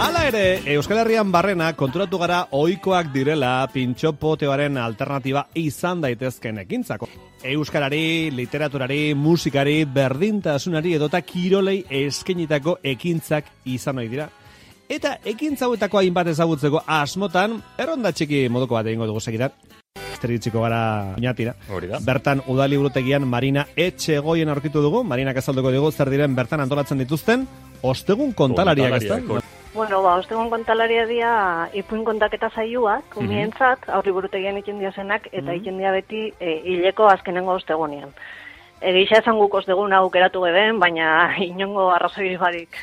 Hala ere, Euskal Herrian barrena konturatu gara ohikoak direla pintxo poteoaren alternatiba izan daitezken ekintzako. Euskarari, literaturari, musikari, berdintasunari edota kirolei eskenitako ekintzak izan ohi dira. Eta ekintza hauetako hainbat ezagutzeko asmotan, erronda txiki moduko bat egingo dugu segidan. Esterritziko gara oinatira. Bertan udaliburutegian Marina Etxegoien aurkitu dugu. Marinak azalduko dugu zer diren bertan antolatzen dituzten ostegun kontalariak, ezta? Bueno, ostegun kontalaria dia ipuin kontaketa saioak, umientzat, aurriburutegian egiten diazenak, eta egiten dia beti hileko azkenengo ostegunean. Egisa esan guk ostegun aukeratu geben, baina inongo arrazoi barik.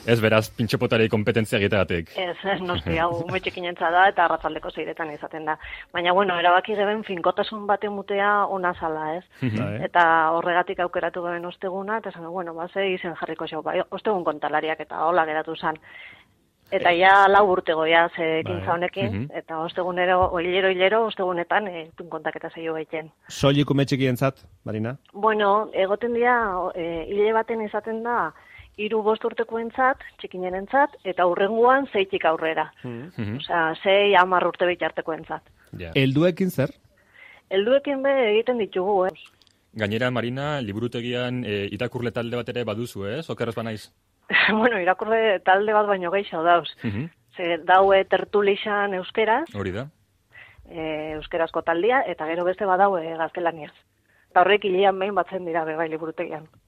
Ez beraz, pintxopotari kompetentzia egiteagatik. Ez noski, hau metxekinentza da, eta arratzaldeko zeiretan izaten da. Baina, bueno, erabaki geben finkotasun bate mutea ona zala, ez? Eta horregatik aukeratu geben osteguna, eta esan, bueno, ze izen jarriko xau, ostegun kontalariak eta hola geratu zan. Eta ja lau urte goia ekintza honekin, eta ostegunero, hilero, ostegunetan kontaketa zaio gaiten. Soilik umetxikientzat, Marina? Bueno, egoten dira, hile baten izaten da, 3-5 urtekoentzat, txikinenentzat, eta hurrengoan 6tik aurrera. Osea, 6-10 urte bitartekoentzat. Helduekin zer? Helduekin be egiten ditugu, Gainera, Marina, liburutegian irakurle talde bat ere baduzu, okerrez banaiz? Bueno, irakurle talde bat baino gehiago dauz. Ze daue tertulixan euskeraz. Hori da. Euskerazko taldia, eta gero beste badaue gaztelaniaz. Eta horrek hilean behin batzen dira bebai liburutegian.